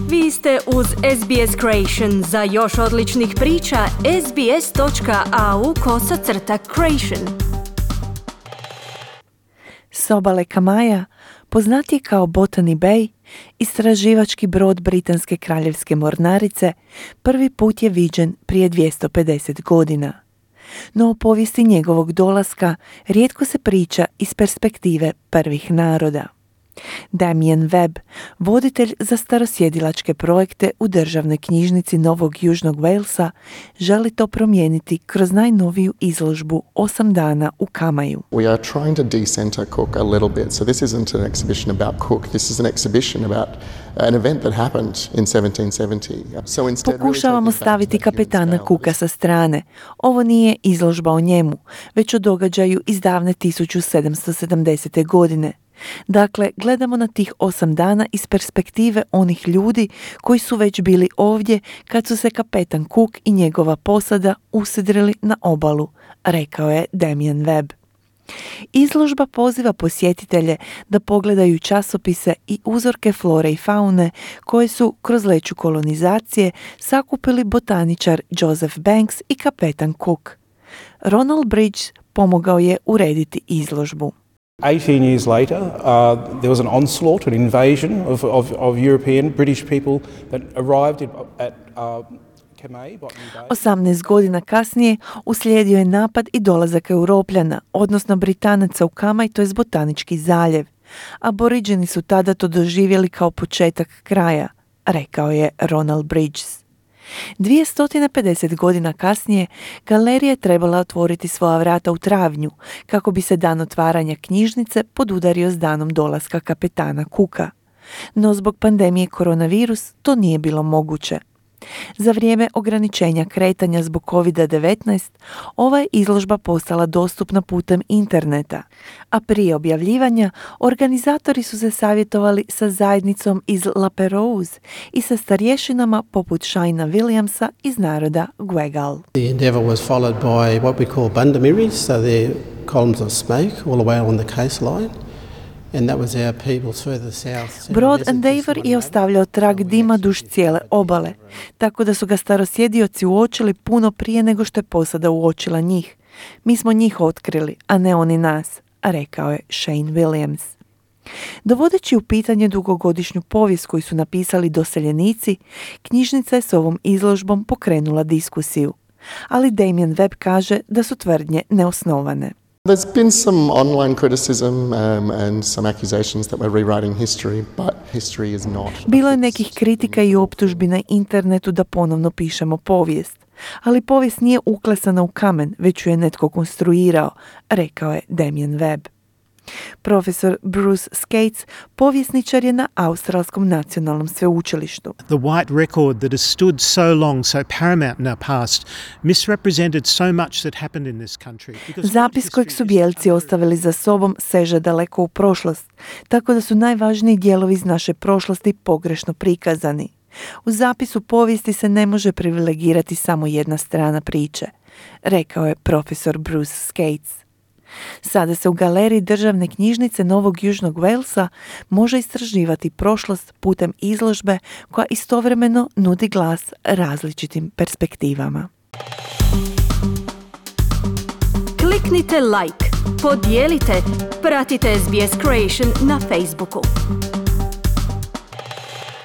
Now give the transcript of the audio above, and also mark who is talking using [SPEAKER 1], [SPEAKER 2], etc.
[SPEAKER 1] Vi ste uz SBS Creation. Za još odličnih priča, sbs.au/creation.
[SPEAKER 2] S obale Kamaja, poznatiji kao Botany Bay, istraživački brod Britanske kraljevske mornarice, prvi put je viđen prije 250 godina. No o povijesti njegovog dolaska rijetko se priča iz perspektive prvih naroda. Damien Webb, voditelj za starosjedilačke projekte u Državnoj knjižnici Novog Južnog Walesa, želi to promijeniti kroz najnoviju izložbu 8 dana u Kamaju.
[SPEAKER 3] We are trying to decenter Cook a little bit. So this isn't an exhibition about Cook. This is an exhibition about an event that happened in 1770.
[SPEAKER 2] Pokušavamo staviti kapetana Cooka sa strane. Ovo nije izložba o njemu, već o događaju iz davne 1770. godine. Dakle, gledamo na tih 8 dana iz perspektive onih ljudi koji su već bili ovdje kad su se kapetan Cook i njegova posada usidrili na obalu, rekao je Damien Webb. Izložba poziva posjetitelje da pogledaju časopise i uzorke flore i faune koje su kroz leću kolonizacije sakupili botaničar Joseph Banks i kapetan Cook. Ronald Bridges pomogao je urediti izložbu.
[SPEAKER 4] 18 years later, there was an onslaught, an invasion of European, British people that arrived at Kamai, Botany Bay.
[SPEAKER 2] 18 godina kasnije uslijedio je napad i dolazak Europljana, odnosno Britanaca u Kamaj, to je Botanički zaljev. Aboriđeni su tada to doživjeli kao početak kraja, rekao je Ronald Bridges. 250 godina kasnije, galerija je trebala otvoriti svoja vrata u travnju, kako bi se dan otvaranja knjižnice podudario s danom dolaska kapetana Cooka. No zbog pandemije koronavirus to nije bilo moguće. Za vrijeme ograničenja kretanja zbog COVID-19, ova je izložba postala dostupna putem interneta, a prije objavljivanja organizatori su se savjetovali sa zajednicom iz La Perouse i sa starješinama poput Shaina Williamsa iz naroda Gwegal.
[SPEAKER 5] The endeavour was followed by what we call bandamiris, so they're columns of smoke all the way along the coastline.
[SPEAKER 2] Brod Endeavour je ostavljao trag dima duž cijele obale, tako da su ga starosjedioci uočili puno prije nego što je posada uočila njih. Mi smo njih otkrili, a ne oni nas, rekao je Shane Williams. Dovodeći u pitanje dugogodišnju povijest koju su napisali doseljenici, knjižnica je s ovom izložbom pokrenula diskusiju. Ali Damien Webb kaže da su tvrdnje neosnovane.
[SPEAKER 3] There's been some online criticism and some accusations that we're rewriting history, but history is not.
[SPEAKER 2] Bilo je nekih kritika i optužbi na internetu da ponovno pišemo povijest, ali povijest nije uklesana u kamen, već ju je netko konstruirao, rekao je Damien Webb. Profesor Bruce Skates povjesničar je na Australskom nacionalnom sveučilištu.
[SPEAKER 6] The white record that has stood so long, so paramount in our past, misrepresented so much that happened in this country.
[SPEAKER 2] Zapis kojeg su bijelci ostavili za sobom seže daleko u prošlost, tako da su najvažniji dijelovi iz naše prošlosti pogrešno prikazani. U zapisu povijesti se ne može privilegirati samo jedna strana priče, rekao je profesor Bruce Skates. Sada se u galeriji Državne knjižnice Novog Južnog Walesa može istraživati prošlost putem izložbe koja istovremeno nudi glas različitim perspektivama.
[SPEAKER 1] Kliknite like, podijelite, pratite SBS Creation na Facebooku.